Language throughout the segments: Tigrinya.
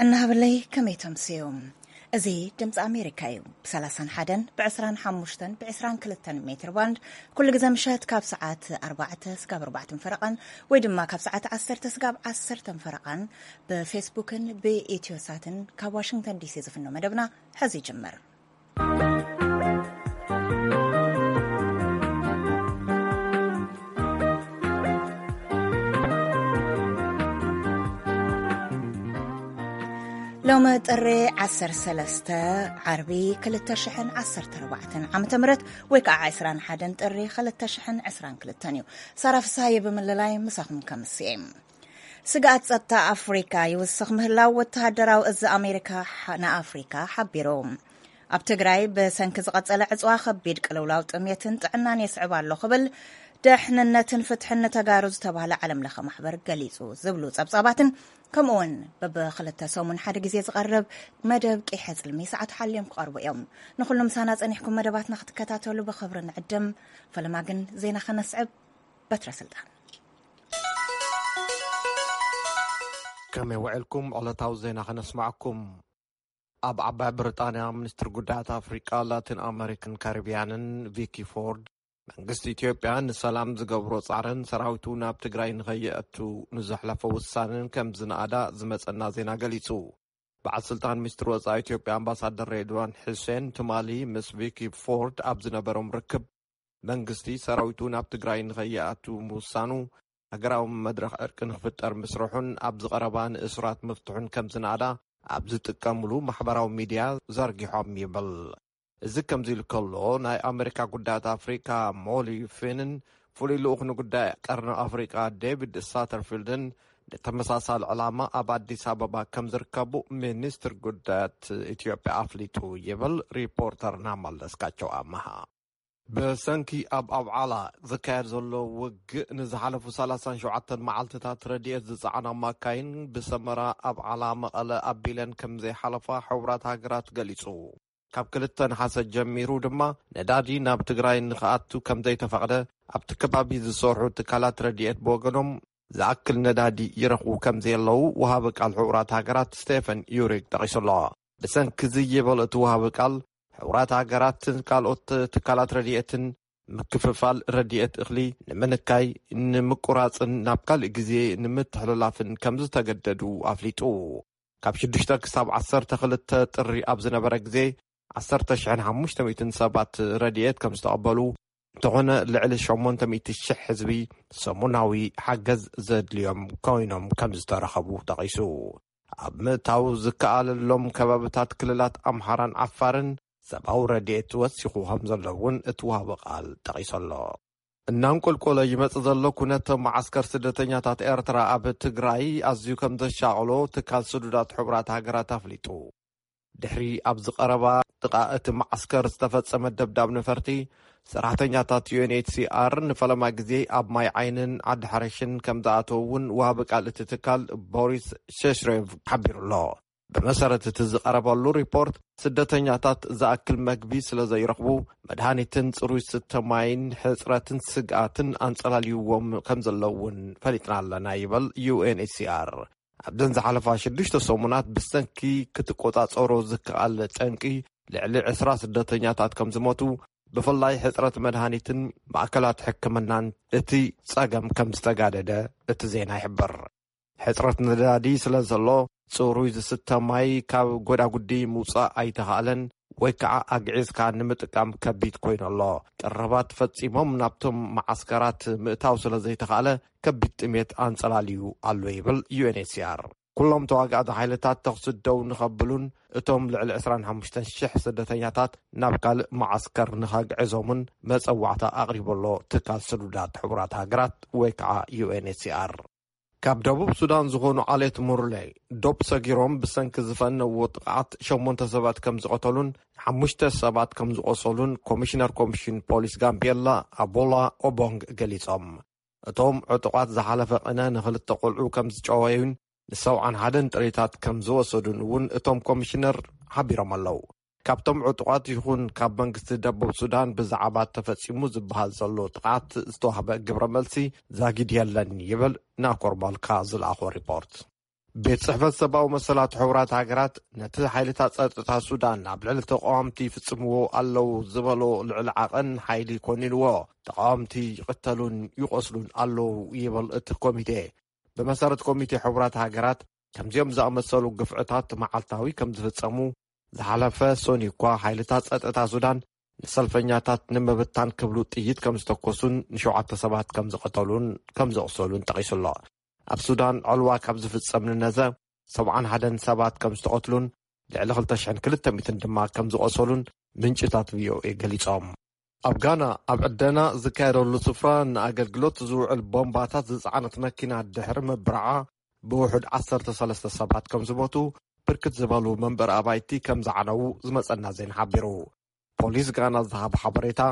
እናሃበለይ ከመይ ተምስዮም? እዚ ድምፂ ኣሜሪካ እዩ። ብ31፣ ብ25፣ ብ22 ሜትር ባንድ ኩሉ ግዜ ምሸት ካብ ሰዓት ኣርባዕተ ስጋብ ኣርባዕተ ፈረቓን ወይ ድማ ካብ ሰዓት ዓሰርተ ስጋብ ዓሰርተ ፈረቓን ብፌስቡክን ብኢትዮሳትን ካብ ዋሽንግተን ዲሲ ዝፍኖ መደብና ሕዚ ይጅምር። ሎሚ ጥሪ ዓሰርተ ሰለስተ ዓርቢ ክልተ ሽሕን ዓሰርተ ኣርባዕተን ዓመተ ምህረት ወይ ከዓ ዕስራን ሓደን ጥሪ ክልተ ሽሕን ዕስራን ክልተን እዩ። ሳራ ፍስሃየ ብምልላይ ምሳኹም ከምስኤ። ስግኣት ጸጥታ ኣፍሪካ ይውስኽ ምህላው ወተሃደራዊ እዚ ኣሜሪካ ሓ-፣ ንኣፍሪካ ሓቢሩ። ኣብ ትግራይ ብሰንኪ ዝቐጸለ ዕጽዋ ከቢድ ቅልውላው ጥሜትን ጥዕናን የስዕብ ኣሎ ክብል ድሕንነትን ፍትሕን ንተጋሩ ዝተባህለ ዓለም ለኸ ማሕበር ገሊጹ ዝብሉ ጸብጻባትን ከምኡ እውን በብክልተ ሰሙን ሓደ ግዜ ዝቐርብ መደብ ቂሐ ጽልሚ ሰዓት ሓልዮም ክቐርቡ እዮም። ንኹሉ ምሳና ጸኒሕኩም መደባትና ክትከታተሉ ብኽብሪ ንዕድም። ፈለማ ግን ዜና ከነስዕብ። በትረ ስልጣን። ከመይ ውዕልኩም? ዕለታዊ ዜና ከነስማዕኩም። ኣብ ዓባይ ብሪጣንያ ሚኒስትር ጉዳያት ኣፍሪቃ፣ ላቲን ኣመሪክን ካሪብያንን ቪኪ ፎርድ፣ መንግስቲ ኢትዮጵያ ንሰላም ዝገብሮ ጻዕርን ሰራዊቱ ናብ ትግራይ ንኸይኣቱ ንዘሕለፎ ውሳነን ከም ዝነኣዳ ዝመጸና ዜና ገሊጹ። በዓል ስልጣን ሚኒስትር ወጻኢ ኢትዮጵያ ኣምባሳደር ሬድዋን ሕሴን ትማሊ ምስ ቪኪ ፎርድ ኣብ ዝነበሮም ርክብ፣ መንግስቲ ሰራዊቱ ናብ ትግራይ ንኸይኣቱ ምውሳኑ፣ ሃገራዊ መድረኽ ዕርቂ ንኽፍጠር ምስርሑን ኣብዚ ቀረባ ንእሱራት ምፍትሑን ከም ዝነኣዳ ኣብ ዝጥቀምሉ ማሕበራዊ ሚድያ ዘርጊሖም ይብል። እዚ ከምዚ ኢሉ ከሎ፣ ናይ ኣመሪካ ጉዳያት ኣፍሪካ ሞሊ ፊንን ፍሉይ ልኡኽ ንጉዳይ ቀርኒ ኣፍሪቃ ዴቪድ ሳተርፊልድን ንተመሳሳሊ ዕላማ ኣብ ኣዲስ ኣበባ ከም ዝርከቡ ሚኒስትር ጉዳያት ኢትዮጵያ ኣፍሊጡ ይብል ሪፖርተርና መለስካቸው ኣመሃ። ብሰንኪ ኣብ ኣብዓላ ዝካየድ ዘሎ ውግእ ንዝሓለፉ ሰላሳን ሸውዓተን መዓልትታት ረድኤት ዝጸዓና ማካይን ብሰመራ ኣብዓላ መቐለ ኣቢለን ከም ዘይሓለፋ ሕቡራት ሃገራት ገሊጹ። ካብ ክልተ ነሓሰ ጀሚሩ ድማ ነዳዲ ናብ ትግራይ ንኽኣቱ ከም ዘይተፈቕደ ኣብቲ ከባቢ ዝሰርሑ ትካላት ረድኤት ብወገኖም ዝኣክል ነዳዲ ይረኽቡ ከም ዘየለዉ ወሃቢ ቃል ሕቡራት ሃገራት ስቴፈን ዩሪክ ጠቒሱ ኣሎ። ብሰንኪ ዝይበል እቲ ወሃቢ ቃል፣ ሕቡራት ሃገራትን ካልኦት ትካላት ረድኤትን ምክፍፋል ረድኤት እኽሊ ንምንካይ፣ ንምቁራጽን ናብ ካልእ ግዜ ንምትሕልላፍን ከም ዝተገደዱ ኣፍሊጡ። ካብ ሽዱሽተ ክሳብ ዓሰርተ ክልተ ጥሪ ኣብ ዝነበረ ግዜ፣ ዓሰርተ ሽሕን ሓሙሽተ ሚእትን ሰባት ረድኤት ከም ዝተቐበሉ፣ እንተኾነ ልዕሊ ሸሞንተ ሚእቲ ሽሕ ህዝቢ ሰሙናዊ ሓገዝ ዘድልዮም ኮይኖም ከም ዝተረኸቡ ጠቒሱ። ኣብ ምእታው ዝከኣለሎም ከባብታት ክልላት ኣምሓራን ዓፋርን ሰብኣዊ ረድኤት ወሲኹ ከም ዘሎ እውን እቲ ወሃቢ ቃል ጠቒሱ ኣሎ። እናንቆልቆለ ይመጽእ ዘሎ ኩነት መዓስከር ስደተኛታት ኤርትራ ኣብ ትግራይ ኣዝዩ ከም ዘሻቕሎ ትካል ስዱዳት ሕቡራት ሃገራት ኣፍሊጡ። ድሕሪ ኣብዚ ቀረባ ጥቓ እቲ መዓስከር ዝተፈጸመ ደብዳብ ነፈርቲ፣ ሰራሕተኛታት ዩ ኤን ኤች ሲ ኣር ንፈለማ ግዜ ኣብ ማይ ዓይንን ዓዲ ሓረሽን ከም ዝኣተዉ እውን ወሃቢ ቃል እቲ ትካል ቦሪስ ሸሽሬቭ ሓቢሩ ኣሎ። ብመሰረት እቲ ዝቐረበሉ ሪፖርት፣ ስደተኛታት ዝኣክል መግቢ ስለ ዘይረኽቡ፣ መድሃኒትን ጽሩይ ዝስተ ማይን ሕጽረትን ስግኣትን ኣንጸላልይዎም ከም ዘለዉ እውን ፈሊጥና ኣለና ይበል ዩ ኤን ኤች ሲ ኣር። ኣብዘን ዝሓለፋ ሽዱሽተ ሰሙናት ብሰንኪ ክትቆጻጸሮ ዝከኣል ጠንቂ ልዕሊ ዕስራ ስደተኛታት ከም ዝሞቱ፣ ብፍላይ ሕጽረት መድሃኒትን ማእከላት ሕክምናን እቲ ጸገም ከም ዝተጋደደ እቲ ዜና ይሕብር። ሕጽረት ነዳዲ ስለ ዘሎ፣ ጽሩይ ዝስተ ማይ ካብ ጎዳጉዲ ምውጻእ ኣይተኻእለን ወይ ከዓ ኣግዒዝካ ንምጥቃም ከቢድ ኮይኑ ኣሎ። ቀረባት ፈጺሞም ናብቶም መዓስከራት ምእታው ስለ ዘይተኻእለ፣ ከቢድ ጥሜት ኣንጸላልዩ ኣሎ ይብል ዩ ኤን ኤች ሲ ኣር። ኩሎም ተዋጋእቲ ሓይልታት ተኹሲ ደው ንኸብሉን እቶም ልዕሊ ዕስራን ሓሙሽተን ሽሕ ስደተኛታት ናብ ካልእ መዓስከር ንኸግዕዞምን መጸዋዕታ ኣቕሪቡ ኣሎ ትካል ስዱዳት ሕቡራት ሃገራት ወይ ከዓ ዩ ኤን ኤች ሲ ኣር። ካብ ደቡብ ሱዳን ዝኾኑ ዓሌት ሙርሌ ዶብ ሰጊሮም ብሰንኪ ዝፈነዎ ጥቕዓት ሸሞንተ ሰባት ከም ዝቐተሉን ሓሙሽተ ሰባት ከም ዝቖሰሉን ኮሚሽነር ኮሚሽን ፖሊስ ጋምቤላ ኣቦላ ኦቦንግ ገሊጾም። እቶም ዕጡቓት ዝሓለፈ ቅነ ንኽልተ ቆልዑ ከም ዝጨወዩን ንሰብዓን ሓደን ጥሪታት ከም ዝወሰዱን እውን እቶም ኮሚሽነር ሓቢሮም ኣለዉ። ካብቶም ዕጡቓት ይኹን ካብ መንግስቲ ደቡብ ሱዳን ብዛዕባ ተፈጺሙ ዝበሃል ዘሎ ጥቕዓት ዝተዋህበ ግብረ መልሲ ዛጊድ የለን ይብል ናኮር ማልካ ዝለኣኾ ሪፖርት። ቤት ጽሕፈት ሰብኣዊ መሰላት ሕቡራት ሃገራት ነቲ ሓይልታት ጸጥታ ሱዳን ኣብ ልዕሊ ተቃወምቲ ይፍጽምዎ ኣለዉ ዝበሎ ልዕሊ ዓቐን ሓይሊ ኮኒንዎ። ተቃወምቲ ይቕተሉን ይቖስሉን ኣለዉ ይብል እቲ ኮሚቴ። ብመሰረት ኮሚቴ ሕቡራት ሃገራት፣ ከምዚኦም ዝኣመሰሉ ግፍዕታት መዓልታዊ ከም ዝፍጸሙ፣ ዝሓለፈ ሰኑይ እኳ ሓይልታት ጸጥታ ሱዳን ንሰልፈኛታት ንምብታን ክብሉ ጥይት ከም ዝተኮሱን ንሸውዓተ ሰባት ከም ዝቐተሉን ከም ዘቑሰሉን ጠቒሱ ኣሎ። ኣብ ሱዳን ዕልዋ ካብ ዝፍጸም ንነዘ ሰብዓን ሓደን ሰባት ከም ዝተቐትሉን ልዕሊ ክልተ ሽሕን ክልተ ሚእትን ድማ ከም ዝቖሰሉን ምንጭታት ቪኦኤ ገሊጾም። ኣብ ጋና፣ ኣብ ዕደና ዝካየደሉ ስፍራ ንኣገልግሎት ዝውዕል ቦምባታት ዝጸዓነት መኪና ድሕሪ ምብራዓ፣ ብውሑድ ዓሰርተ ሰለስተ ሰባት ከም ዝሞቱ፣ ብርክት ዝበሉ መንበሪ ኣባይቲ ከም ዝዓነዉ ዝመጸና ዜና ሓቢሩ። ፖሊስ ጋና ዝሃቦ ሓበሬታ፣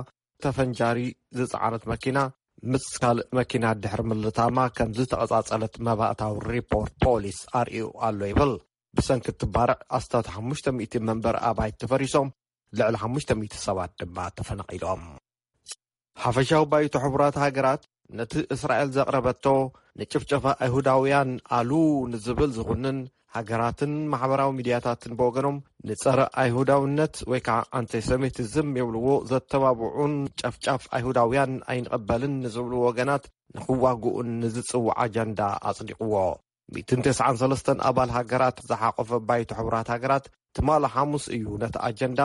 ተፈንጃሪ ዝጸዓነት መኪና ምስ ካልእ መኪና ድሕሪ ምልታማ ከም ዝተቐጻጸለት መባእታዊ ሪፖርት ፖሊስ ኣርእዩ ኣሎ ይብል። ብሰንኪ እቲ ባርዕ ኣስታት ሓሙሽተ ሚእቲ መንበሪ ኣባይቲ ተፈሪሶም፣ ልዕሊ ሓሙሽተ ሚእቲ ሰባት ድማ ተፈናቒሎም። ሓፈሻዊ ባይቶ ሕቡራት ሃገራት ነቲ እስራኤል ዘቕረበቶ ንጭፍጨፋ ኣይሁዳውያን ኣሉ ንዝብል ዝኹንን፣ ሃገራትን ማሕበራዊ ሚድያታትን ብወገኖም ንጸረ ኣይሁዳውነት ወይ ከዓ ኣንቲሰሚቲዝም ይብልዎ ዘተባብዑን ጨፍጫፍ ኣይሁዳውያን ኣይንቐበልን ንዝብሉ ወገናት ንኽዋግኡን ንዝጽውዕ ኣጀንዳ ኣጽዲቕዎ። ሚእትን ተስዓን ሰለስተን ኣባል ሃገራት ዝሓቆፈ ባይቶ ሕቡራት ሃገራት ትማሊ ሓሙስ እዩ ነቲ ኣጀንዳ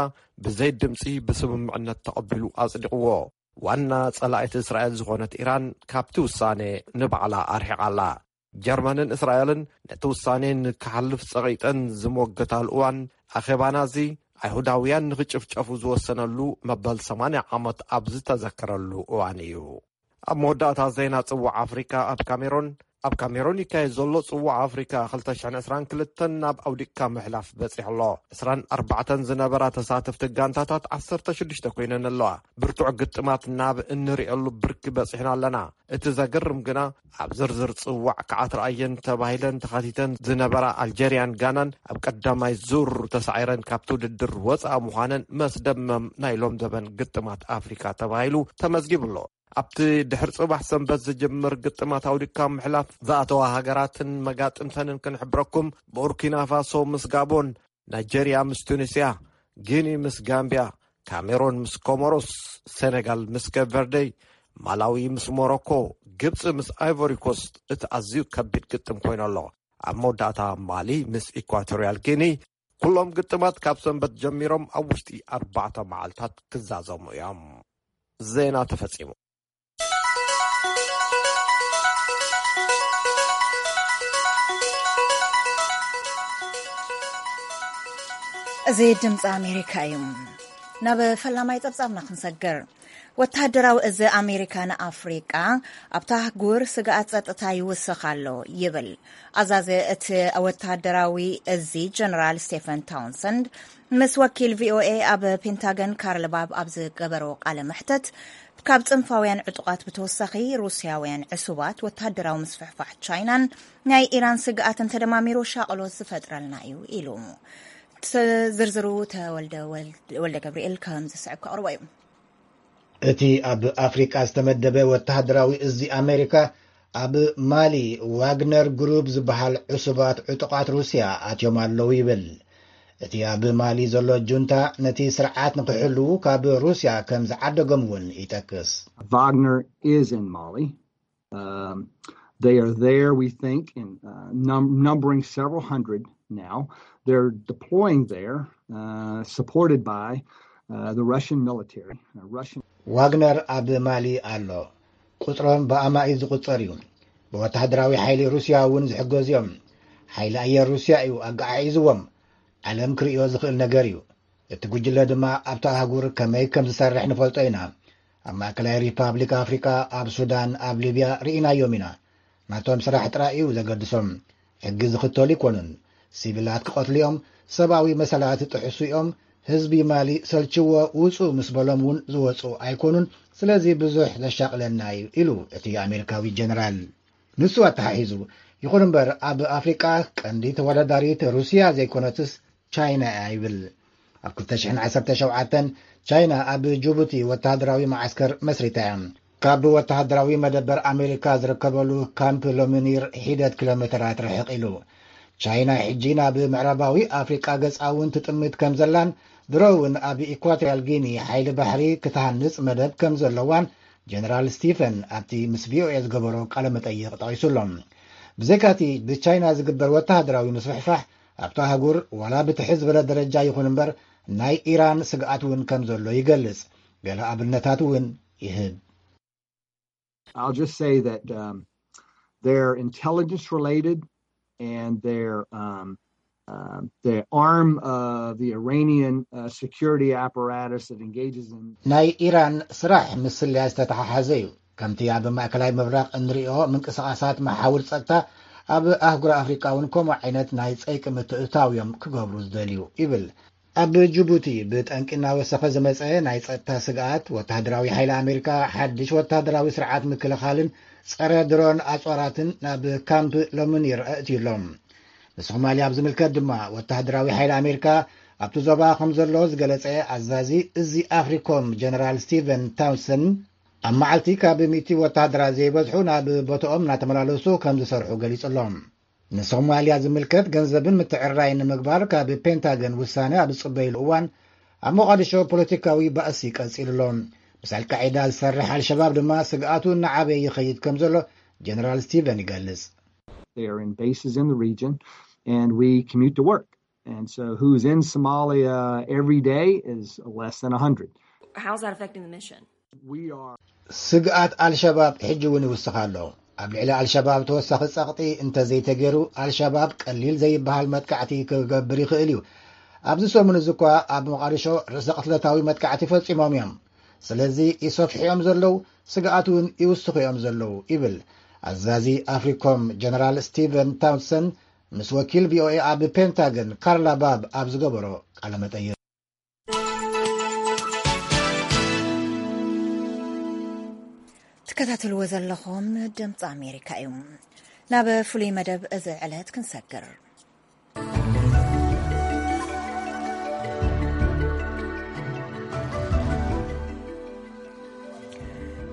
ብዘይ ድምፂ ብስምምዕነት ተቐቢሉ ኣጽዲቕዎ። ዋና ጸላኢት እስራኤል ዝኾነት ኢራን ካብቲ ውሳኔ ንባዕላ ኣርሒቓ ኣላ። ጀርመንን እስራኤልን ነቲ ውሳኔ ንክሓልፍ ጸቒጠን ዝሞገታሉ እዋን፣ ኣኼባና እዚ ኣይሁዳውያን ንኽጭፍጨፉ ዝወሰነሉ መበል ሰማንያ ዓመት ኣብ ዝተዘከረሉ እዋን እዩ። ኣብ መወዳእታ ዜና ጽዋዕ ኣፍሪካ፣ ኣብ ካሜሮን ኣብ ካሜሮን ይካየድ ዘሎ ጽዋዕ ኣፍሪካ ክልተ ሽሕን ዕስራን ክልተን ናብ ኣውዲቕካ ምሕላፍ በጺሑ ኣሎ። ዕስራን ኣርባዕተን ዝነበራ ተሳተፍቲ ጋንታታት ዓሰርተ ሽዱሽተ ኮይነን ኣለዋ። ብርቱዕ ግጥማት ናብ እንሪኤሉ ብርኪ በጺሕና ኣለና። እቲ ዘገርም ግና፣ ኣብ ዝርዝር ጽዋዕ ክዓት ረኣየን ተባሂለን ተኻቲተን ዝነበራ ኣልጀርያን ጋናን ኣብ ቀዳማይ ዙር ተሳዒረን ካብቲ ውድድር ወጻኢ ምዃነን መስደመም ናይ ሎም ዘበን ግጥማት ኣፍሪካ ተባሂሉ ተመዝጊቡ ኣሎ። ኣብቲ ድሕሪ ጽባሕ ሰንበት ዝጅምር ግጥማት ኣውዲቕካ ምሕላፍ ዝኣተዋ ሃገራትን መጋጥምተንን ክንሕብረኩም፣ ቡርኪና ፋሶ ምስ ጋቦን፣ ናይጀርያ ምስ ቱኒስያ፣ ጊኒ ምስ ጋምብያ፣ ካሜሮን ምስ ኮሞሮስ፣ ሴኔጋል ምስ ኬፕ ቨርደይ፣ ማላዊ ምስ ሞሮኮ፣ ግብጺ ምስ ኣይቮሪ ኮስት፣ እቲ ኣዝዩ ከቢድ ግጥም ኮይኑ ኣሎ። ኣብ መወዳእታ ማሊ ምስ ኢኳቶርያል ጊኒ። ኩሎም ግጥማት ካብ ሰንበት ጀሚሮም ኣብ ውሽጢ ኣርባዕተ መዓልታት ክዛዘሙ እዮም። ዜና ተፈጺሙ። እዚ ድምፂ ኣሜሪካ እዩ። ናብ ፈላማይ ጸብጻብና ክንሰግር። ወተሃደራዊ እዚ ኣሜሪካ ንኣፍሪቃ ኣብታ ኣህጉር ስግኣት ጸጥታ ይውስኽ ኣሎ ይብል። ኣዛዚ እቲ ወተሃደራዊ እዚ ጀነራል ስቴፈን ታውንሰንድ ምስ ወኪል ቪኦኤ ኣብ ፔንታገን ካርል ባብ ኣብ ዝገበሮ ቃለ መሕተት፣ ካብ ጽንፋውያን ዕጡቓት ብተወሳኺ ሩስያውያን ዕሱባት፣ ወተሃደራዊ ምስፍሕፋሕ ቻይናን ናይ ኢራን ስግኣትን ተደማሚሩ ሻቕሎት ዝፈጥረልና እዩ ኢሉ። ዝርዝሩ ተወልደ ወልደ ገብርኤል ከም ዝስዕብ ከቕርቦ እዩ። እቲ ኣብ ኣፍሪቃ ዝተመደበ ወተሃደራዊ እዚ ኣሜሪካ፣ ኣብ ማሊ ዋግነር ግሩፕ ዝበሃል ዕሱባት ዕጡቓት ሩስያ ኣትዮም ኣለዉ ይብል። እቲ ኣብ ማሊ ዘሎ ጁንታ ነቲ ስርዓት ንክሕልዉ ካብ ሩስያ ከም ዝዓደጎም እውን ይጠቅስ። Wagner is in Mali. Um, they are there, we think, in uh, num- numbering several hundred now. They're deploying there, uh, supported by uh, the Russian military. Uh, Russian. ዋግነር ኣብ ማሊ ኣሎ። ቁፅሮም ብኣማኢት ዝቁፀር እዩ። ብወተሃደራዊ ሓይሊ ሩስያ እውን ዝሕገዙ እዮም። ሓይሊ ኣየር ሩስያ እዩ ኣገዓዒዝዎም። ዓለም ክርእዮ ዝኽእል ነገር እዩ። እቲ ጉጅለ ድማ ኣብታ ኣህጉር ከመይ ከም ዝሰርሕ ንፈልጦ ኢና። ኣብ ማእከላይ ሪፓብሊክ ኣፍሪቃ፣ ኣብ ሱዳን፣ ኣብ ሊብያ ርኢናዮም ኢና። ናቶም ስራሕ ጥራይ እዩ ዘገድሶም። ሕጊ ዝኽተሉ ይኮኑን። ሲቪላት ክቐትሉ እዮም። ሰብኣዊ መሰላት ይጥሕሱ እዮም። ህዝቢ ማሊ ሰልችዎ ውጹ ምስ በሎም እውን ዝወጹ ኣይኮኑን። ስለዚ ብዙሕ ዘሻቕለና እዩ ኢሉ እቲ ኣሜሪካዊ ጀነራል። ንሱ ኣተሓሒዙ፣ ይኹን እምበር ኣብ ኣፍሪቃ ቀንዲ ተወዳዳሪት ሩስያ ዘይኮነትስ ቻይና እያ ይብል። ኣብ ክልተ ሽሕን ዓሰርተ ሸውዓተን ቻይና ኣብ ጅቡቲ ወተሃደራዊ መዓስከር መስሪታ እያ። ካብ ወተሃደራዊ መደበር ኣሜሪካ ዝርከበሉ ካምፕ ሎሚኒር ሒደት ኪሎ ሜተራት ርሕቕ ኢሉ። ቻይና ሕጂ ናብ ምዕራባዊ ኣፍሪቃ ገጻ እውን ትጥምት ከም ዘላን ድሮ እውን ኣብ ኢኳቶሪያል ጊኒ ሓይሊ ባሕሪ ክትሃንጽ መደብ ከም ዘለዋን ጀነራል ስቲፈን ኣብቲ ምስ ቪኦኤ ዝገበሮ ቃለ መጠይቕ ጠቒሱ ኣሎ። ብዘይካቲ ብቻይና ዝግበር ወተሃደራዊ ምስፍሕፋሕ ኣብቲ ኣህጉር ዋላ ብትሕት ዝበለ ደረጃ ይኹን እምበር ናይ ኢራን ስግኣት እውን ከም ዘሎ ይገልጽ። ገለ ኣብነታት እውን ይህብ። I'll just say that um, they're intelligence related and they're um, um, the arm of the Iranian uh, security apparatus that engages in ናይ ኢራን ስራሕ ምስ ስለያ ዝተተሓሓዘ እዩ። ከምቲ ኣብ ማእከላይ ምብራቕ እንሪኦ ምንቅስቓሳት መሓውር ጸጥታ ኣብ ኣህጉር ኣፍሪቃ እውን ከምኡ ዓይነት ናይ ጸይቂ ምትእትታው እዮም ክገብሩ ዝደልዩ ይብል። ኣብ ጅቡቲ ብጠንቂ እናወሰኸ ዝመጸ ናይ ጸጥታ ስግኣት ወተሃደራዊ ሓይሊ ኣሜሪካ ሓድሽ ወተሃደራዊ ስርዓት ምክልኻልን ጸረ ድሮን ኣጽዋራትን ናብ ካምፕ ሎምኒር ኣእትዩ ኣሎ። ንሶማልያ ኣብ ዝምልከት ድማ ወተሃደራዊ ሓይሊ ኣሜሪካ ኣብቲ ዞባ ከም ዘሎ ዝገለጸ ኣዛዚ እዚ ኣፍሪኮም ጀነራል ስቲቨን ታውንሰን ኣብ መዓልቲ ካብ ሚእቲ ወተሃደራት ዘይበዝሑ ናብ ቦታኦም እናተመላለሱ ከም ዝሰርሑ ገሊጹ ኣሎ። ንሶማልያ ዝምልከት ገንዘብን ምትዕርራይን ንምግባር ካብ ፔንታገን ውሳነ ኣብ ዝጽበይሉ እዋን ኣብ ሞቓዲሾ ፖለቲካዊ ባእሲ ቀጺሉ ኣሎ። ምስ ኣልቃዒዳ ዝሰርሕ ኣልሸባብ ድማ ስግኣቱ እናዓበየ ይኸይድ ከም ዘሎ ጀነራል ስቲቨን ይገልጽ። They are in bases in the region and we commute to work. And so who's in Somalia every day is less than one hundred. How's that affecting the mission? We are ስግኣት ኣልሸባብ ሕጂ እውን ይውስኽ ኣሎ። ኣብ ልዕሊ ኣልሸባብ ተወሳኺ ጸቕጢ እንተዘይተገይሩ ኣልሸባብ ቀሊል ዘይበሃል መጥቃዕቲ ክገብር ይኽእል እዩ። ኣብዚ ሰሙን እዚ እኳ ኣብ ሞቓዲሾ ርእሰ ቅትለታዊ መጥቃዕቲ ፈጺሞም እዮም። ስለዚ ይሰፍሑ እዮም ዘለዉ፣ ስግኣት እውን ይውስኹ እዮም ዘለዉ ይብል ኣዛዚ ኣፍሪኮም ጀነራል ስቲቨን ታውንሰን ምስ ወኪል ቪኦኤ ኣብ ፔንታገን ካርላ ባብ ኣብ ዝገበሮ ቃለ መጠይቕ። ትከታተልዎ ዘለኹም ድምፂ ኣሜሪካ እዩ። ናብ ፍሉይ መደብ እዚ ዕለት ክንሰግር።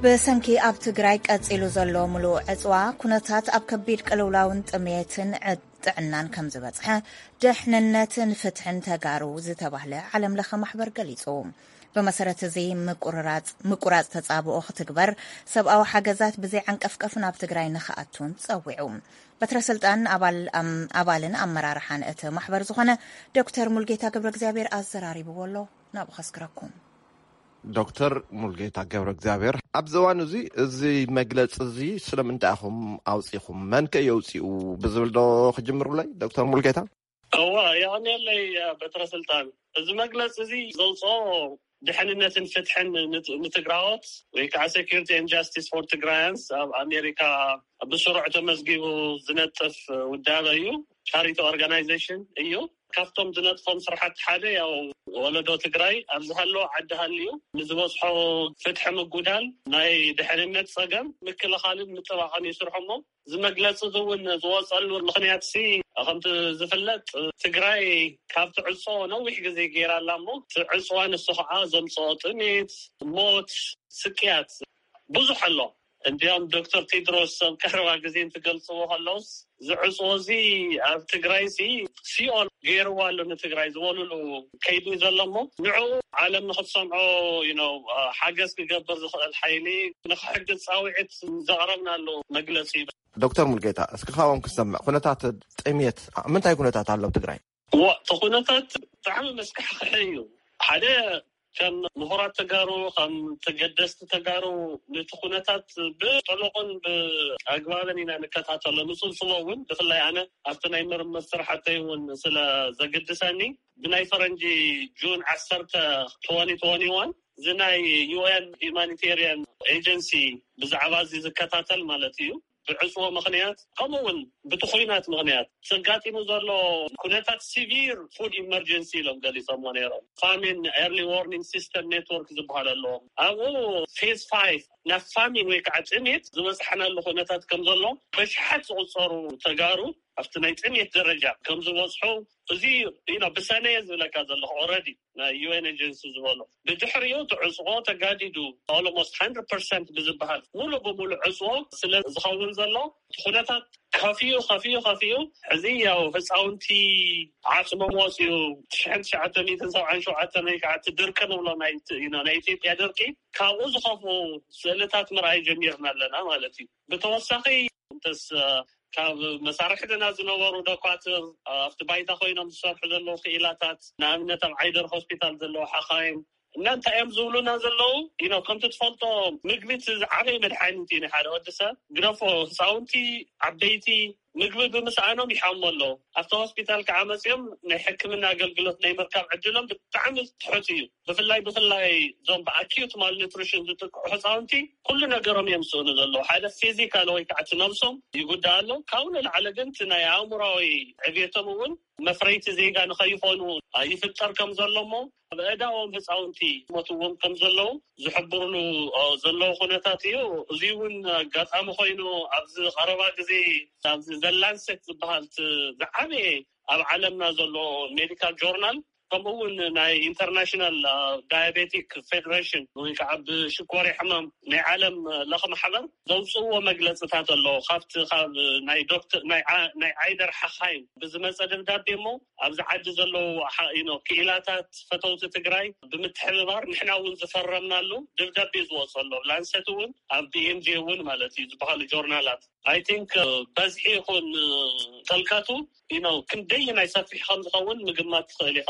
ብሰንኪ ኣብ ትግራይ ቀፂሉ ዘሎ ምሉእ ዕፅዋ ኩነታት ኣብ ከቢድ ቅልውላውን ጥሜትን ጥዕናን ከም ዝበፅሐ ደሕንነትን ፍትሕን ተጋሩ ዝተባህለ ዓለም ለኸ ማሕበር ገሊፁ። ብመሰረት እዚ ምቁርራፅ ተፃብኦ ክትግበር፣ ሰብኣዊ ሓገዛት ብዘይ ዓንቀፍቀፍ ናብ ትግራይ ንክኣቱን ፀዊዑ። በትረ ስልጣን ኣባልን ኣመራርሓን እቲ ማሕበር ዝኾነ ዶክተር ሙልጌታ ገብረ እግዚኣብሔር ኣዘራሪብዎ ኣሎ። ናብኡ ከስግረኩም። ዶክተር ሙልጌታ ገብረ እግዚኣብሔር፣ ኣብዚ እዋን እዚ እዚ መግለፂ እዚ ስለምንታይ ኢኹም ኣውፂኹም? መን ከ የውፅኡ ብዝብል ዶ ክጅምሩለይ ዶክተር ሙልጌታ? እዋ፣ የቐንየለይ በትረ ስልጣን። እዚ መግለፂ እዚ ዘውፅኦ ድሕንነትን ፍትሕን ንትግራዎት ወይ ከዓ Security and Justice for Tigrayans ኣብ ኣሜሪካ ብስሩዕ ተመዝጊቡ ዝነጥፍ ውዳበ እዩ። ቻሪቲ ኦርጋናይዜሽን እዩ። ካብቶም ዝነጥፎም ስራሕቲ ሓደ ያው ወለዶ ትግራይ ኣብ ዝሃለዎ ዓዲ ሃልዩ ንዝበፅሖ ፍትሒ ምጉዳል ናይ ድሕንነት ፀገም ምክልኻልን ምጥባቕን ይስርሑ እሞ እዚ መግለፂ እዚ እውን ዝወፀሉ ምኽንያት ሲ ከምቲ ዝፍለጥ ትግራይ ካብ ትዕፆ ነዊሕ ግዜ ገይራ ኣላ እሞ እቲ ዕፅዋ ንሱ ከዓ ዘምፅኦ ጥሜት፣ ሞት፣ ስቅያት ብዙሕ ኣሎ። እንዲያውም ዶክተር ቴድሮስ ኣብ ቀረባ ግዜ እንትገልፅዎ ከለውስ እዚ ዕፅዎ እዚ ኣብ ትግራይ ሲ ሲኦል ገይርዋ ኣሎ ንትግራይ ዝበሉሉ ከይዲ ዘሎ እሞ ንዕኡ ዓለም ንክትሰምዖ you know ሓገዝ ክገብር ዝኽእል ሓይሊ ንክሕግዝ ፃውዒት ዘቕረብናሉ መግለፂ እዩ። ዶክተር ሙልጌታ፣ እስኪ ካብኦም ክሰምዕ፣ ኩነታት ጥሜት ኣብ ምንታይ ኩነታት ኣሎ ኣብ ትግራይ? እዋ፣ እቲ ኩነታት ብጣዕሚ መስካሕክሒ እዩ። ሓደ ከም ምሁራት ተጋሩ ከም ተገደስቲ ተጋሩ ነቲ ኩነታት ብጥሉቕን ብኣግባብን ኢና ንከታተሎ። ንፅብፅቦ እውን ብፍላይ ኣነ ኣብቲ ናይ ምርምር ስራሕተይ እውን ስለ ዘግድሰኒ ብናይ ፈረንጂ ጁን ዓሰርተ ትወኒ ትወኒ ዋን እዚ ናይ ዩ ኤን ሂማኒቴሪያን ኤጀንሲ ብዛዕባ እዚ ዝከታተል ማለት እዩ ብዕፅዎ ምኽንያት ከምኡ እውን ብቲ ኹናት ምኽንያት ዘጋጢሙ ዘሎ ኩነታት ሲቪር ፉድ ኢመርጀንሲ ኢሎም ገሊፆምዎ ነይሮም። ፋሚን ኤርሊ ዋርኒንግ ሲስተም ኔትወርክ ዝበሃል ኣለዎም። ኣብኡ ፌዝ ፋይቭ ናብ ፋሚን ወይ ከዓ ጥሜት ዝበፅሐናሉ ኩነታት ከም ዘሎ በሽሓት ዝቁፀሩ ተጋሩ ኣብቲ ናይ ጥሜት ደረጃ ከም ዝበፅሑ፣ እዚ ብሰነ እየ ዝብለካ ዘለኹ። ኦረዲ ናይ ዩ ኤን ኤጀንሲ ዝበሎ፣ ብድሕሪኡ እቲ ዕፅቆ ተጋዲዱ፣ ኦሎሞስት ሓንድረድ ፐርሰንት ብዝበሃል ሙሉ ብሙሉ ዕፅቆ ስለ ዝኸውን ዘሎ፣ እቲ ኩነታት ከፊኡ ከፊኡ ከፊኡ፣ እዚ ያው ህፃውንቲ ዓፅሞም ወፂኡ፣ ትሽዓን ትሽዓተ ሚእትን ሰብዓን ሸውዓተን ወይ ከዓ እቲ ድርቂ ንብሎ ናይ ኢትዮጵያ ድርቂ፣ ካብኡ ዝኸፍኡ ስእልታት ምርኣይ ጀሚርና ኣለና ማለት እዩ። ብተወሳኺ እንተስ ካብ መሳርሕትና ዝነበሩ ደኳትር፣ ኣብቲ ባይታ ኮይኖም ዝሰርሑ ዘለዉ ክኢላታት፣ ንኣብነት ኣብ ዓይደር ሆስፒታል ዘለዉ ሓኻይም፣ እና እንታይ እዮም ዝብሉና ዘለዉ? ኢኖ ከምቲ ትፈልጦ፣ ምግቢ እቲ ዝዓበየ መድሓኒት እዩ ንሓደ ወዲ ሰብ። ግደፎ ህፃውንቲ፣ ዓበይቲ፣ ምግቢ ብምስኣኖም ይሓሙ ኣለዉ። ኣብቲ ሆስፒታል ከዓ መፅኦም ናይ ሕክምና ኣገልግሎት ናይ ምርካብ ዕድሎም ብጣዕሚ ትሑት እዩ። ብፍላይ ብፍላይ እዞም ብኣኪዩት ማልኒትሪሽን ዝጥቅዑ ህፃውንቲ፣ ኩሉ ነገሮም እዮም ዝስእኑ ዘለዉ። ሓደ ፊዚካል ወይ ከዓ እቲ ነብሶም ይጉዳእ ኣሎ። ካብኡ ንላዕሊ ግን እቲ ናይ ኣእምሮዊ ዕብየቶም እውን መፍረይቲ ዜጋ ንኸይኾኑ ይፍጠር ከም ዘሎ እሞ፣ ኣብ ኣእዳዎም ህፃውንቲ ሞትዎም ከም ዘለዉ ዝሕብርሉ ዘለዉ ኩነታት እዩ። እዚ እውን ኣጋጣሚ ኮይኑ፣ ኣብዚ ቀረባ ግዜ ኣብዚ ዘ ላንሴት ዝበሃል እቲ ዝዓበየ ኣብ ዓለምና ዘሎ ሜዲካል ጆርናል፣ ከምኡ እውን ናይ ኢንተርናሽናል ዳያቤቲክ ፌደሬሽን ወይ ከዓ ብሽኮርያ ሕማም ናይ ዓለም ለኸ ማሕበር ዘውፅእዎ መግለፅታት ኣለዎ። ካብቲ ካብ ናይ ዶክተር፣ ናይ ዓ-፣ ናይ ዓይደር ሓኻይም ብዝመፀ ደብዳቤ እሞ፣ ኣብዚ ዓዲ ዘለዉ ሓ-፣ you know፣ ክኢላታት ፈተውቲ ትግራይ ብምትሕብባር ንሕና እውን ዝፈረምናሉ ደብዳቤ ዝወፅ ኣሎ። ላንሰት እውን ኣብ ቢ ኤም ጂ እውን ማለት እዩ ዝበሃሉ ጆርናላት። I think በዝሒ ይኹን ጥልቀቱ፣ you know፣ ክንደይ ናይ ሰፊሕ ከም ዝኸውን ምግማት ትኽእል ኢኻ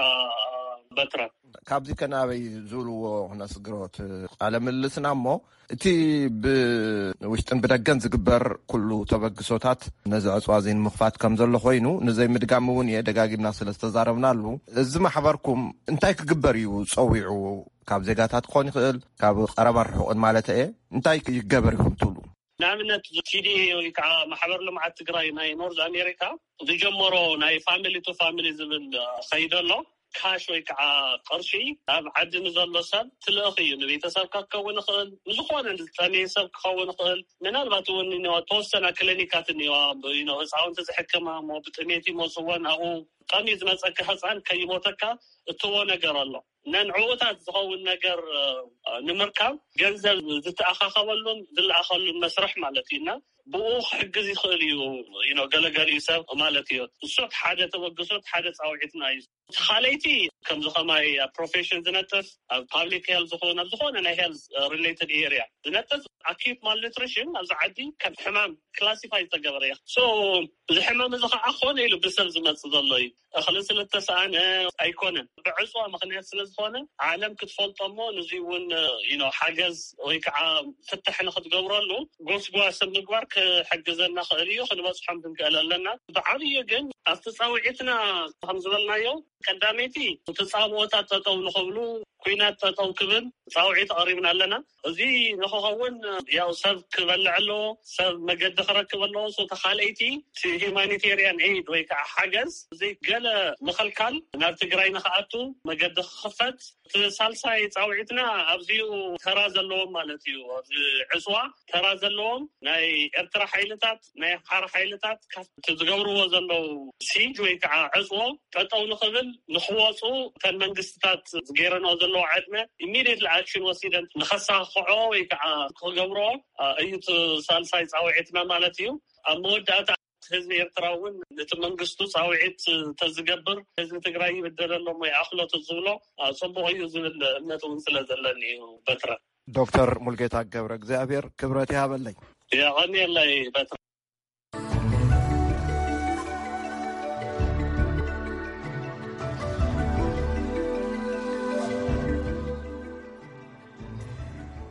በትረ። ካብዚ ከናበይ ዝብልዎ ክነስግሮ እቲ ቃለ ምልልስና እሞ፣ እቲ ብውሽጥን ብደገን ዝግበር ኩሉ ተበግሶታት ነዚ ዕፅዋ እዚ ንምኽፋት ከም ዘሎ ኮይኑ፣ ንዘይምድጋም እውን እየ፣ ደጋጊምና ስለ ዝተዛረብናሉ። እዚ ማሕበርኩም እንታይ ክግበር እዩ ፀዊዑ? ካብ ዜጋታት ክኾን ይኽእል፣ ካብ ቀረባን ርሑቕን ማለት እየ። እንታይ ይገበር ይኹን ትብሉ? ንኣብነት፣ ቲ ዲ ኤ ወይ ከዓ ማሕበር ልምዓት ትግራይ ናይ ኖርዝ ኣሜሪካ ዝጀመሮ ናይ ፋሚሊ ቱ ፋሚሊ ዝብል ከይዲ ኣሎ። ካሽ ወይ ከዓ ቅርሺ ኣብ ዓዲ ንዘሎ ሰብ ትልእኽ እዩ። ንቤተሰብካ ክኸውን ይኽእል፣ ንዝኾነ ዝጠመየ ሰብ ክኸውን ይኽእል። ምናልባት እውን እኒዋ ተወሰና ክሊኒካት እኒዋ፣ you know፣ ህፃውንቲ ዝሕክማ እሞ ብጥሜት ይመፅዎ፣ ናብኡ ጠምዩ ዝመፀካ ህፃን ከይሞተካ እትዎ ነገር ኣሎ። ነንዕኡታት ዝኸውን ነገር ንምርካብ ገንዘብ ዝተኣኻኸበሉን ዝለኣኸሉን መስርሕ ማለት እዩ። እና ብኡ ክሕግዝ ይኽእል እዩ፣ you know፣ ገለገሊኡ ሰብ ማለት እዩ። እሱ ሓደ ተበግሶ፣ ሓደ ፃውዒትና እዩ። እቲ ካልኣይቲ፣ ከምዚ ከማይ ኣብ ፕሮፌሽን ዝነጥፍ፣ ኣብ ፓብሊክ ሄልዝ ዝኾነ፣ ኣብ ዝኾነ ናይ ሄልዝ ሪሌትድ ኤሪያ ዝነጥፍ፣ ኣኪዩት ማልኒትሪሽን ኣብዚ ዓዲ ከም ሕማም ክላሲፋይ ዝተገበረ እዩ። ሶ፣ እዚ ሕማም እዚ ከዓ ኮነ ኢሉ ብሰብ ዝመፅእ ዘሎ እዩ። እኽሊ ስለ እተሰኣነ ኣይኮነን፣ ብዕፅዋ ምኽንያት ስለ ዝኾነ፣ ዓለም ክትፈልጦ እሞ፣ ንዚ እውን፣ you know፣ ሓገዝ ወይ ከዓ ፍታሕ ንክትገብረሉ ጎስጓስ ምግባር ክሕግዘና ክእል እዩ። ክንበፅሖም ክንክእል ኣለና። ብዓብዩ ግን ኣብቲ ፃውዒትና ከም ዝበልናዮ፣ ቀዳመይቲ እቲ ፃብኦታት ጠጠው ንኽብሉ፣ ኩናት ጠጠው ክብል ፃውዒት ኣቕሪብና ኣለና። እዚ ንኽኸውን ያው ሰብ ክበልዕ ኣለዎ፣ ሰብ መገዲ ክረክብ ኣለዎ። ሶ፣ ተኻልኣይቲ እቲ ሂማኒቴሪያን ኤድ ወይ ከዓ ሓገዝ፣ እዚ ገለ ምኽልካል ናብ ትግራይ ንኽኣቱ መገዲ ክኽፈት፣ እቲ ሳልሳይ ፃውዒትና ኣብዚኡ ተራ ዘለዎም ማለት እዩ። ኣብዚ ዕፅዋ ተራ ዘለዎም ናይ ኤርትራ ሓይልታት፣ ናይ ኣምሓራ ሓይልታት ካብቲ ዝገብርዎ ዘለዉ ሲጅ ወይ ከዓ ዕፅዎ ጠጠው ንኽብል፣ ንኽወፁ፣ እተን መንግስትታት ዝገይረንኦ ዘለዋ ዕድመ ኢሚዲየትሊ ኣክሽን ወሲደን ንኸሳኽዖ ወይ ከዓ ክገብርኦ እዩ እቲ ሳልሳይ ፃውዒትና ማለት እዩ። ኣብ መወዳእታ ህዝቢ ኤርትራ እውን ነቲ መንግስቱ ፃውዒት ተዝገብር፣ ህዝቢ ትግራይ ይብደል ኣሎ እሞ ይኣኽሎ ተዝብሎ፣ አ፣ ፅቡቕ እዩ ዝብል እምነት እውን ስለ ዘለኒ እዩ። በትረ። ዶክተር ሙልጌታ ገብረ እግዚኣብሔር ክብረት ይሃበለይ። የቐንየለይ በትረ።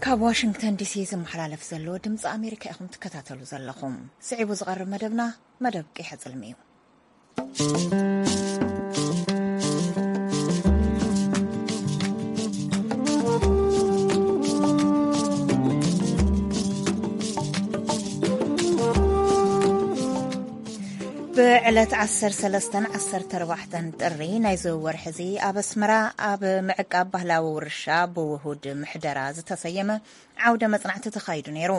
ካብ ዋሽንግተን ዲሲ ዝመሓላለፍ ዘሎ ድምፂ ኣሜሪካ ኢኹም ትከታተሉ ዘለኹም። ስዒቡ ዝቐርብ መደብና መደብ ቂሐ ጽልሚ እዩ። ብዕለት ዓሰርተ ሰለስተን ዓሰርተ ኣርባዕተን ጥሪ ናይዚ ወርሒ እዚ ኣብ ኣስመራ ኣብ ምዕቃብ ባህላዊ ውርሻ ብውሁድ ምሕደራ ዝተሰየመ ዓውደ መጽናዕቲ ተኻይዱ ነይሩ።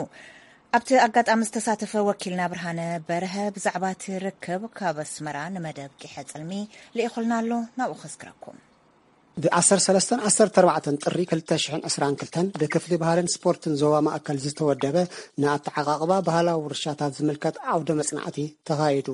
ኣብቲ ኣጋጣሚ ዝተሳተፈ ወኪልና ብርሃነ በርሀ ብዛዕባ እቲ ርክብ ካብ ኣስመራ ንመደብ ቂሐ ጽልሚ ልኢኹልና ኣሎ። ናብኡ ከስግረኩም። ብ ዓሰርተ ሰለስተን ዓሰርተ ኣርባዕተን ጥሪ ክልተ ሽሕን ዕስራን ክልተን ብክፍሊ ባህልን ስፖርትን ዞባ ማእከል ዝተወደበ ንኣተዓቓቕባ ባህላዊ ውርሻታት ዝምልከት ዓውደ መጽናዕቲ ተኻይዱ።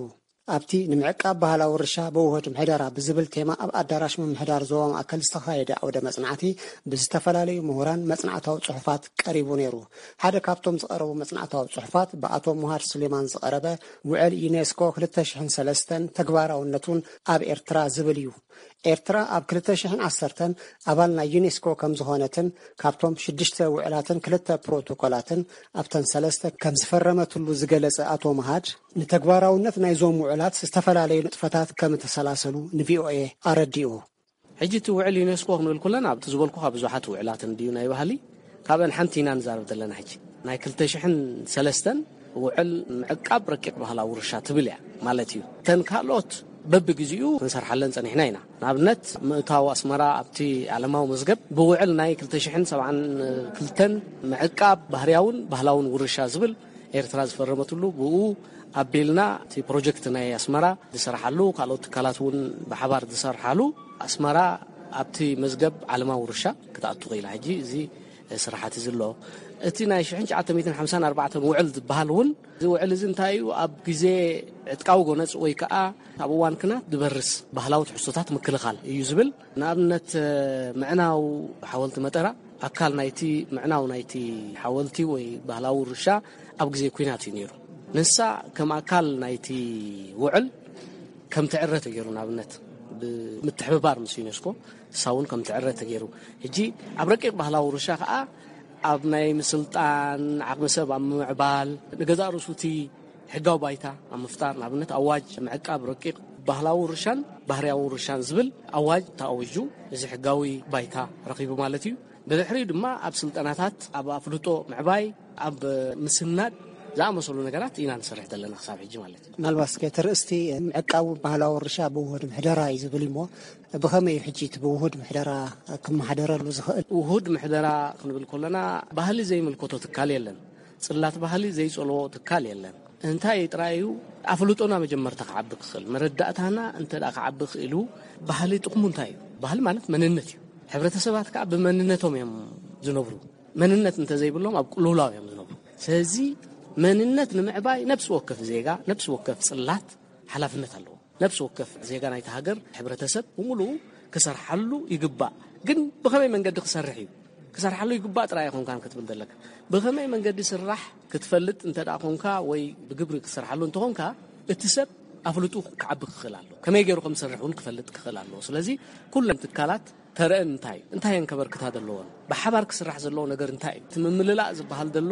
ኣብቲ ንምዕቃብ ባህላዊ ውርሻ ብውሁድ ምሕደራ ብዝብል ቴማ ኣብ ኣዳራሽ ምምሕዳር ዞባ ማእከል ዝተኻየደ ዓውደ መጽናዕቲ ብዝተፈላለዩ ምሁራን መጽናዕታዊ ጽሑፋት ቀሪቡ ነይሩ። ሓደ ካብቶም ዝቐረቡ መጽናዕታዊ ጽሑፋት ብኣቶ ሙሃር ሱሌማን ዝቐረበ ውዕል ዩኔስኮ ክልተ ሽሕን ሰለስተን ተግባራውነቱን ኣብ ኤርትራ ዝብል እዩ። ኤርትራ ኣብ ክልተ ሽሕን ዓሰርተን ኣባል ናይ ዩኔስኮ ከም ዝኾነትን ካብቶም ሽዱሽተ ውዕላትን ክልተ ፕሮቶኮላትን ኣብተን ሰለስተ ከም ዝፈረመትሉ ዝገለጸ ኣቶ መሃድ፣ ንተግባራውነት ናይዞም ውዕላት ዝተፈላለዩ ንጥፈታት ከም እተሰላሰሉ ንቪኦኤ ኣረዲኡ። ሕጂ እቲ ውዕል ዩኔስኮ ክንብል ከለና ኣብቲ ዝበልኩኻ ብዙሓት ውዕላት እንድዩ ናይ ባህሊ፣ ካብአን ሓንቲ ኢና ንዛረብ ዘለና። ሕጂ ናይ ክልተ ሽሕን ሰለስተን ውዕል ምዕቃብ ረቂቕ ባህላዊ ውርሻ ትብል እያ ማለት እዩ። እተን ካልኦት በብግዜኡ ክንሰርሓለን ጸኒሕና ኢና። ንኣብነት ምእታው ኣስመራ ኣብቲ ዓለማዊ መዝገብ ብውዕል ናይ ክልተ ሽሕን ሰብዓን ክልተን ምዕቃብ ባህርያውን ባህላውን ውርሻ ዝብል ኤርትራ ዝፈረመትሉ፣ ብኡ ኣቢልና እቲ ፕሮጀክት ናይ ኣስመራ ዝሰርሓሉ፣ ካልኦት ትካላት እውን ብሓባር ዝሰርሓሉ፣ ኣስመራ ኣብቲ መዝገብ ዓለማዊ ውርሻ ክትኣቱ ክኢላ። ሕጂ እዚ ስራሓት እዚ ኣሎ። እቲ ናይ ሽሕን ትሽዓተ ሚእትን ሓምሳን ኣርባዕተን ውዕል ዝበሃል እውን፣ እዚ ውዕል እዚ እንታይ እዩ? ኣብ ግዜ ዕጥቃዊ ጎነጽ ወይ ከዓ ኣብ እዋን ኲናት ዝበርስ ባህላዊ ትሕዝቶታት ምክልኻል እዩ ዝብል። ንኣብነት፣ ምዕናው ሓወልቲ መጠራ ኣካል ናይቲ፣ ምዕናው ናይቲ ሓወልቲ ወይ ባህላዊ ውርሻ ኣብ ግዜ ኲናት እዩ ነይሩ። ንሳ ከም ኣካል ናይቲ ውዕል ከም ትዕረ ተገይሩ፣ ንኣብነት ብምትሕብባር ምስ ዩኔስኮ ንሳ እውን ከም ትዕረ ተገይሩ። ሕጂ ኣብ ረቂቕ ባህላዊ ውርሻ ከዓ ኣብ ናይ ምስልጣን ዓቕሚ ሰብ ኣብ ምምዕባል፣ ንገዛእ ርእሱ እቲ ሕጋዊ ባይታ ኣብ ምፍጣር፣ ንኣብነት ኣዋጅ ምዕቃብ ረቂቕ ባህላዊ ውርሻን ባህርያዊ ውርሻን ዝብል ኣዋጅ ተኣዊጁ፣ እዚ ሕጋዊ ባይታ ረኺቡ ማለት እዩ። ብድሕሪኡ ድማ ኣብ ስልጠናታት፣ ኣብ ኣፍልጦ ምዕባይ፣ ኣብ ምስናድ ዝኣመሰሉ ነገራት ኢና ንሰርሕ ዘለና ክሳብ ሕጂ ማለት እዩ። ምናልባት እስከ እቲ ርእስቲ ምዕቃቡ ባህላዊ ውርሻ ብውሁድ ምሕደራ እዩ ዝብል እሞ፣ ብኸመይ እዩ ሕጂ እቲ ብውሁድ ምሕደራ ክመሓደረሉ ዝኽእል? ውሁድ ምሕደራ ክንብል ከለና፣ ባህሊ ዘይምልከቶ ትካል የለን፣ ጽላት ባህሊ ዘይጸልዎ ትካል የለን። እንታይ ጥራይ እዩ ኣፍልጦና መጀመርታ ክዓቢ ክኽእል፣ መረዳእታና እንተ ደኣ ክዓቢ ክእሉ፣ ባህሊ ጥቕሙ እንታይ እዩ? ባህሊ ማለት መንነት እዩ። ሕብረተሰባት ከኣ ብመንነቶም እዮም ዝነብሩ። መንነት እንተዘይብሎም ኣብ ቅልውላው እዮም ዝነብሩ። ስለዚ መንነት ንምዕባይ ነፍሲ ወከፍ ዜጋ፣ ነፍሲ ወከፍ ጽላት ሓላፍነት ኣለዎ። ነፍሲ ወከፍ ዜጋ ናይቲ ሃገር፣ ሕብረተሰብ ብምሉኡ ክሰርሓሉ ይግባእ። ግን ብኸመይ መንገዲ ክሰርሕ እዩ? ክሰርሓሉ ይግባእ ጥራይ ኣይኮንካን ክትብል ዘለካ። ብኸመይ መንገዲ ስራሕ ክትፈልጥ እንተ ደኣ ኮንካ ወይ ብግብሪ ክትሰርሓሉ እንተኾንካ፣ እቲ ሰብ ኣፍልጡ ክዓቢ ክኽእል ኣለዎ። ከመይ ገይሩ ከም ዝሰርሕ እውን ክፈልጥ ክኽእል ኣለዎ። ስለዚ ኩለን ትካላት ተረአን እንታይ እዩ? እንታይ እየን ከበርክታ ዘለዎን? ብሓባር ክስራሕ ዘለዎ ነገር እንታይ እዩ? እቲ ምምልላእ ዝበሃል ዘሎ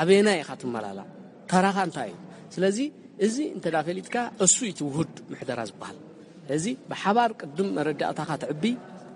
ኣበየናይ ኢኻ ትመላላእ? ተራኻ እንታይ እዩ? ስለዚ እዚ እንተ ደኣ ፈሊጥካ፣ እሱ እዩ እቲ ውሁድ ምሕደራ ዝበሃል። እዚ ብሓባር ቅድም መረዳእታኻ ትዕቢ፣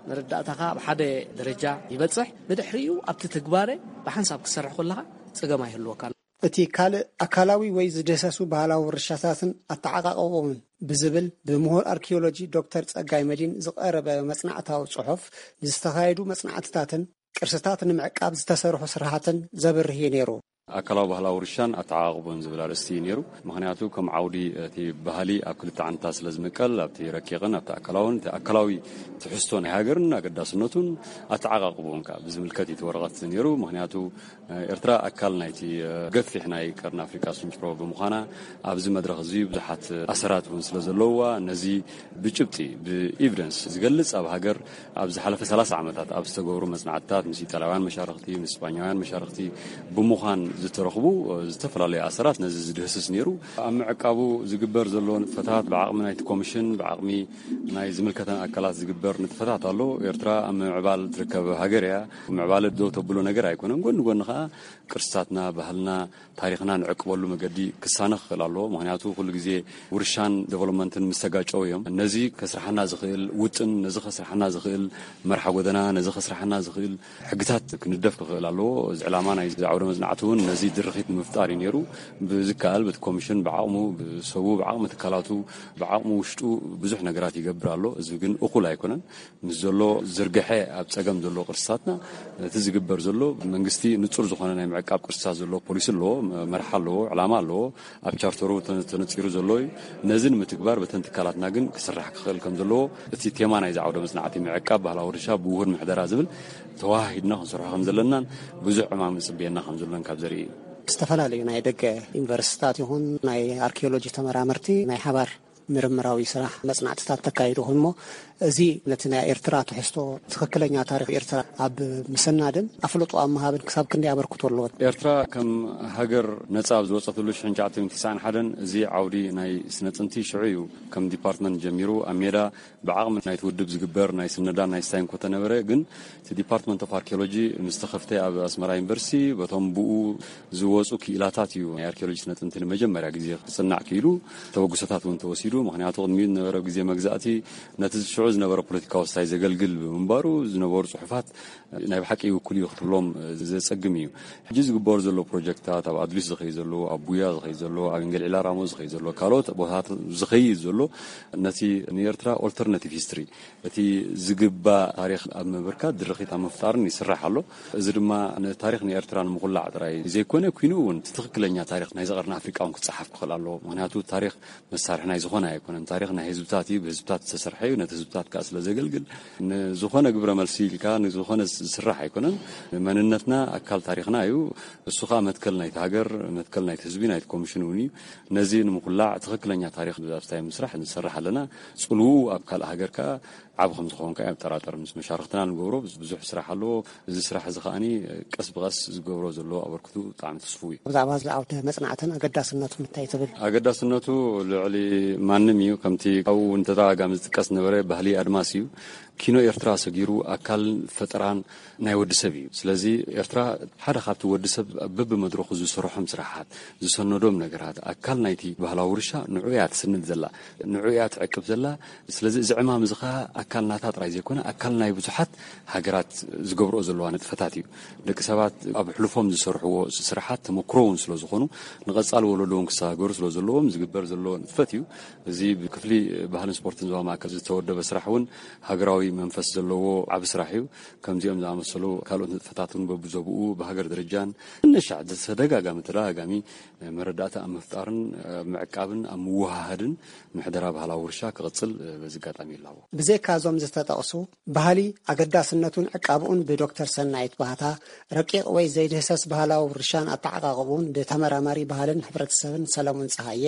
መረዳእታኻ ኣብ ሓደ ደረጃ ይበጽሕ፣ ብድሕሪኡ ኣብቲ ትግባረ ብሓንሳብ ክትሰርሕ ከለኻ ጸገም ኣይህልወካን። እቲ ካልእ ኣካላዊ ወይ ዝደሰሱ ባህላዊ ውርሻታትን ኣተዓቃቕቦምን ብዝብል ብምሁር ኣርኪዮሎጂ ዶክተር ጸጋይ መዲን ዝቐረበ መጽናዕታዊ ጽሑፍ፣ ዝተኻየዱ መጽናዕትታትን ቅርስታት ንምዕቃብ ዝተሰርሑ ስራሓትን ዘብርህ እዩ ነይሩ። ኣካላዊ ባህላዊ ውርሻን ኣተዓቓቕቦን ዝብል ኣርእስቲ እዩ ነይሩ። ምኽንያቱ ከም ዓውዲ እቲ ባህሊ ኣብ ክልተ ዓንድታት ስለ ዝምቀል፣ ኣብቲ ረቂቕን ኣብቲ ኣካላውን፣ እቲ ኣካላዊ ትሕዝቶ ናይ ሃገርን ኣገዳስነቱን ኣተዓቓቕቦን ከኣ ብዝምልከት እዩ እቲ ወረቐት ነይሩ። ምኽንያቱ ኤርትራ ኣካል ናይቲ ገፊሕ ናይ ቀርኒ ኣፍሪቃ ስንጭሮ ብምዃና፣ ኣብዚ መድረኽ እዚ ብዙሓት ኣሰራት እውን ስለ ዘለውዋ፣ ነዚ ብጭብጢ ብኤቪደንስ ዝገልጽ ኣብ ሃገር ኣብ ዝሓለፈ ሰላሳ ዓመታት ኣብ ዝተገብሩ መጽናዕትታት ምስ ኢጣልያውያን መሻርኽቲ፣ ምስ ስጳኛውያን መሻርኽቲ ብምዃን ዝተረኽቡ ዝተፈላለዩ ኣሰራት ነዚ ዝድህስስ ነይሩ። ኣብ ምዕቃቡ ዝግበር ዘሎ ንጥፈታት ብዓቕሚ ናይቲ ኮሚሽን፣ ብዓቕሚ ናይ ዝምልከተን ኣካላት ዝግበር ንጥፈታት ኣሎ። ኤርትራ ኣብ ምምዕባል ትርከብ ሃገር እያ። ምዕባለ ደው ተብሎ ነገር ኣይኮነን። ጎኒ ጎኒ ከኣ ቅርስታትና፣ ባህልና፣ ታሪኽና ንዕቅበሉ መገዲ ክሳነ ክኽእል ኣለዎ። ምኽንያቱ ኩሉ ግዜ ውርሻን ዴቨሎፕመንትን ምስ ተጋጨው እዮም። ነዚ ከስርሓና ዝኽእል ውጥን፣ ነዚ ከስርሓና ዝኽእል መርሓ ጎደና፣ ነዚ ከስርሓና ዝኽእል ሕግታት ክንደፍ ክኽእል ኣለዎ። እዚ ዕላማ ናይ ዓውደ መጽናዕቲ እውን እዚ ድርኺት ንምፍጣር እዩ ነይሩ። ብዝከኣል በቲ ኮሚሽን ብዓቕሙ፣ ብሰቡ፣ ብዓቕሚ ትካላቱ፣ ብዓቕሙ ውሽጡ ብዙሕ ነገራት ይገብር ኣሎ። እዚ ግን እኹል ኣይኮነን። ምስ ዘሎ ዝርግሐ ኣብ ጸገም ዘሎ ቅርስታትና እቲ ዝግበር ዘሎ መንግስቲ ንጹር ዝኾነ ናይ ምዕቃብ ቅርስታት ዘለዎ ፖሊሲ ኣለዎ፣ መርሓ ኣለዎ፣ ዕላማ ኣለዎ። ኣብ ቻርተሩ ተነ- ተነጺሩ ዘሎ እዩ። ነዚ ንምትግባር በተን ትካላትና ግን ክስራሕ ክኽእል ከም ዘለዎ እቲ ቴማ ናይዚ ዓውደ መጽናዕቲ ምዕቃብ ባህላዊ ውርሻ ብውሁድ ምሕደራ ዝብል ተዋሃሂድና ክንሰርሖ ከም ዘለናን ብዙሕ ዕማም ዝጽበየና ከም ዘሎን ካብ ዘርኢ እዩ። ዝተፈላለዩ ናይ ደገ ዩኒቨርሲታት ይኹን ናይ ኣርኪኦሎጂ ተመራመርቲ ናይ ሓባር ምርምራዊ ስራሕ መጽናዕትታት ተካይዱ ይኹን እሞ፣ እዚ ነቲ ናይ ኤርትራ ትሕዝቶ ትኽክለኛ ታሪኽ ኤርትራ ኣብ ምስናድን ኣፍልጦ ኣብ ምሃብን ክሳብ ክንደይ ኣበርክቶ ኣለዎ? ኤርትራ ከም ሃገር ነጻ ኣብ ዝወጸትሉ ሽሕን ትሽዓተ ሚእትን ትስዓን ሓደን እዚ ዓውዲ ናይ ስነ ጥንቲ ሽዑ እዩ ከም ዲፓርትመንት ጀሚሩ ኣብ ሜዳ ብዓቕሚ ናይቲ ውድብ ዝግበር ናይ ስነዳን ናይ ስታይን ኮተነበረ ግን እቲ ዲፓርትመንት ኦፍ ኣርኪኦሎጂ ምስ ተኸፍተ ኣብ ኣስመራ ዩኒቨርሲቲ በቶም ብኡ ዝወጹ ክኢላታት እዩ ናይ ኣርኪኦሎጂ ስነ ጥንቲ ንመጀመርያ ግዜ ክጽናዕ ክኢሉ። ተበግሶታት እውን ተወሲዱ። ምኽንያቱ ቅድሚኡ ዝነበረ ግዜ መግዛእቲ ነቲ ሽዑ ዝነበረ ፖለቲካዊ ስታይ ዘገልግል ብምንባሩ ዝነበሩ ጽሑፋት ናይ ብሓቂ ይውክሉ እዩ ክትብሎም ዘጸግም እዩ። ሕጂ ዝግበሩ ዘሎ ፕሮጀክታት ኣብ ኣድሊስ ዝኸይ ዘሎ፣ ኣብ ቡያ ዝኸይ ዘሎ፣ ኣብ እንገልዒላ ራሞ ዝኸይ ዘሎ፣ ካልኦት ቦታታት ዝኸይድ ዘሎ ነቲ ንኤርትራ ኦልተርናቲቭ ሂስትሪ እቲ ዝግባእ ታሪኽ ኣብ ምብርካት ድርኺት ኣብ ምፍጣርን ይስራሕ ኣሎ። እዚ ድማ ንታሪኽ ንኤርትራ ንምኹላዕ ጥራይ ዘይኮነ፣ ኩይኑ እውን እቲ ትኽክለኛ ታሪኽ ናይዚ ቀርኒ ኣፍሪቃ እውን ክጸሓፍ ክኽእል ኣለዎ። ምኽንያቱ ታሪኽ መሳርሒ ናይ ዝኾነ ኣይኮነን። ታሪኽ ናይ ህዝብታት እዩ፣ ብህዝብታት ዝተሰርሐ እዩ፣ ነቲ ህዝብታት ከኣ ስለ ዘገልግል ንዝኾነ ግብረ መልሲ ኢልካ ንዝኾነ ዝስራሕ ኣይኮነን። መንነትና ኣካል ታሪኽና እዩ። እሱ ከኣ መትከል ናይቲ ሃገር፣ መትከል ናይቲ ህዝቢ፣ ናይቲ ኮሚሽን እውን እዩ። ነዚ ንምኹላዕ ትኽክለኛ ታሪኽ ኣብ ስታይ ምስራሕ ንሰርሕ ኣለና። ጽልውኡ ኣብ ካልእ ሃገር ከኣ ዓቢ ከም ዝኸውን ከኣ የጠራጠር። ምስ መሻርኽትና ንገብሮ ብዙሕ ስራሕ ኣለዎ። እዚ ስራሕ እዚ ከኣኒ ቀስ ብቐስ ዝገብሮ ዘሎ ኣበርክቱ ብጣዕሚ ትስፉው እዩ። ብዛዕባ እዚ ዓውደ መጽናዕትን ኣገዳስነቱን እንታይ ትብል? ኣገዳስነቱ ልዕሊ ማንም እዩ። ከምቲ ኣብኡ እውን ተደጋጋሚ ዝጥቀስ ነበረ ባህሊ ኣድማስ እዩ። ኪኖ ኤርትራ ሰጊሩ ኣካል ፈጠራን ናይ ወዲ ሰብ እዩ። ስለዚ ኤርትራ ሓደ ካብቲ ወዲ ሰብ በብመድረኹ ዝሰርሖም ስራሓት፣ ዝሰነዶም ነገራት፣ ኣካል ናይቲ ባህላዊ ውርሻ ንዑ እያ ትስንድ ዘላ፣ ንዑ እያ ትዕቅብ ዘላ። ስለዚ እዚ ዕማም እዚ ኸኣ ኣካል ናታ ጥራይ ዘይኮነ፣ ኣካል ናይ ብዙሓት ሃገራት ዝገብርኦ ዘለዋ ንጥፈታት እዩ። ደቂ ሰባት ኣብ ሕሉፎም ዝሰርሕዎ ስራሓት ተመክሮ እውን ስለ ዝኾኑ፣ ንቐጻሊ ወለዶ እውን ክሰጋገሩ ስለ ዘለዎም ዝግበር ዘሎ ንጥፈት እዩ። እዚ ብክፍሊ ባህልን ስፖርትን ዞባ ማእከል ዝተወደበ ስራሕ እውን ሃገራዊ መንፈስ ዘለዎ ዓቢ ስራሕ እዩ። ከምዚኦም ዝኣመሰሉ ካልኦት ንጥፈታት እውን በብዞብኡ ብሃገር ደረጃን ንሻዕ ተደጋጋሚ ተደጋጋሚ መረዳእታ ኣብ ምፍጣርን ኣብ ምዕቃብን ኣብ ምውሃሃድን ምሕደራ ባህላዊ ውርሻ ክቕጽል በዚ ኣጋጣሚ ይላቦ። ብዘይካ እዞም ዝተጠቕሱ ባህሊ ኣገዳስነቱን ዕቃብኡን ብዶክተር ሰናይት ባህታ ረቂቕ ወይ ዘይድህሰስ ባህላዊ ውርሻን ኣተዓቓቕቡን ብተመራማሪ ባህልን ሕብረተሰብን ሰለሙን ጸሃየ፣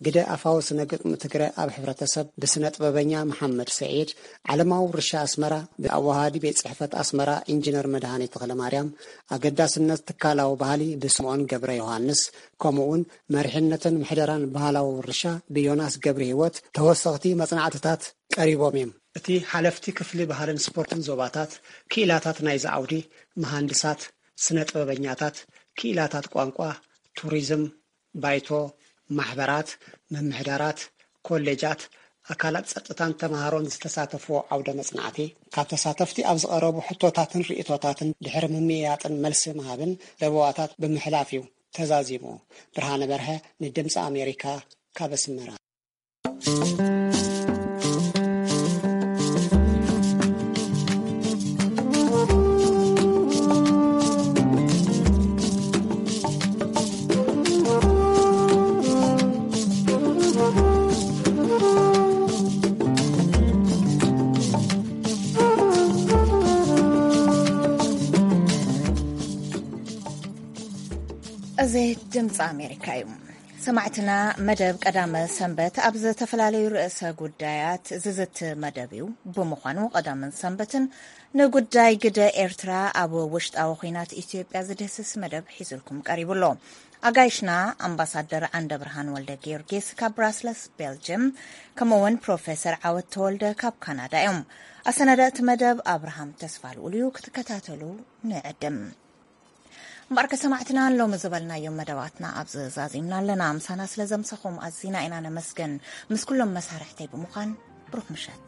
ግደ ኣፋዊ ስነ ግጥሚ ትግረ ኣብ ሕብረተሰብ ብስነ ጥበበኛ መሓመድ ሰዒድ፣ ዓለማዊ ውርሻ ኣስመራ ብኣወሃሃዲ ቤት ጽሕፈት ኣስመራ ኢንጂነር መድሃኔ ተኽለማርያም፣ ኣገዳስነት ትካላዊ ባህሊ ብስምኦን ገብረ ዮሃንስ፣ ከምኡውን መሪሕነትን ምሕደራን ባህላዊ ውርሻ ብዮናስ ገብረ ህይወት ተወሰኽቲ መጽናዕትታት ቀሪቦም እዮም። እቲ ሓለፍቲ ክፍሊ ባህልን ስፖርትን ዞባታት፣ ክኢላታት ናይዚ ዓውዲ፣ መሃንድሳት፣ ስነ ጥበበኛታት፣ ክኢላታት ቋንቋ፣ ቱሪዝም፣ ባይቶ፣ ማሕበራት፣ ምምሕዳራት፣ ኮሌጃት፣ ኣካላት ጸጥታን ተመሃሮን ዝተሳተፍዎ ዓውደ መጽናዕቲ፣ ካብ ተሳተፍቲ ኣብ ዝቐረቡ ሕቶታትን ርእይቶታትን ድሕሪ ምምይያጥን መልሲ ምሃብን ለበዋታት ብምሕላፍ እዩ ተዛዚሙ። ብርሃነ በርሀ ንድምፂ ኣሜሪካ ካብ ኣስመራ። እዚ ድምፂ ኣሜሪካ እዩ። ሰማዕትና፣ መደብ ቀዳመ ሰንበት ኣብ ዝተፈላለዩ ርእሰ ጉዳያት ዝዝቲ መደብ እዩ። ብምዃኑ ቀዳምን ሰንበትን ንጉዳይ ግደ ኤርትራ ኣብ ውሽጣዊ ኲናት ኢትዮጵያ ዝድህስስ መደብ ሒዙልኩም ቀሪቡ ኣሎ። ኣጋይሽና ኣምባሳደር ዓንደ ብርሃን ወልደ ጊዮርጊስ ካብ ብራስለስ ቤልጅየም፣ ከምኡውን ፕሮፌሰር ዓወት ተወልደ ካብ ካናዳ እዮም። ኣሰናዳእቲ መደብ ኣብርሃም ተስፋ ልኡል እዩ። ክትከታተሉ ንዕድም። እምበኣርከ ሰማዕትና፣ ሎሚ ዝበልናዮም መደባትና ኣብዚ ዛዚምና ኣለና። ምሳና ስለ ዘምሰኹም ኣዚና ኢና ነመስግን። ምስ ኩሎም መሳርሕተይ ብምዃን ብሩኽ ምሸት።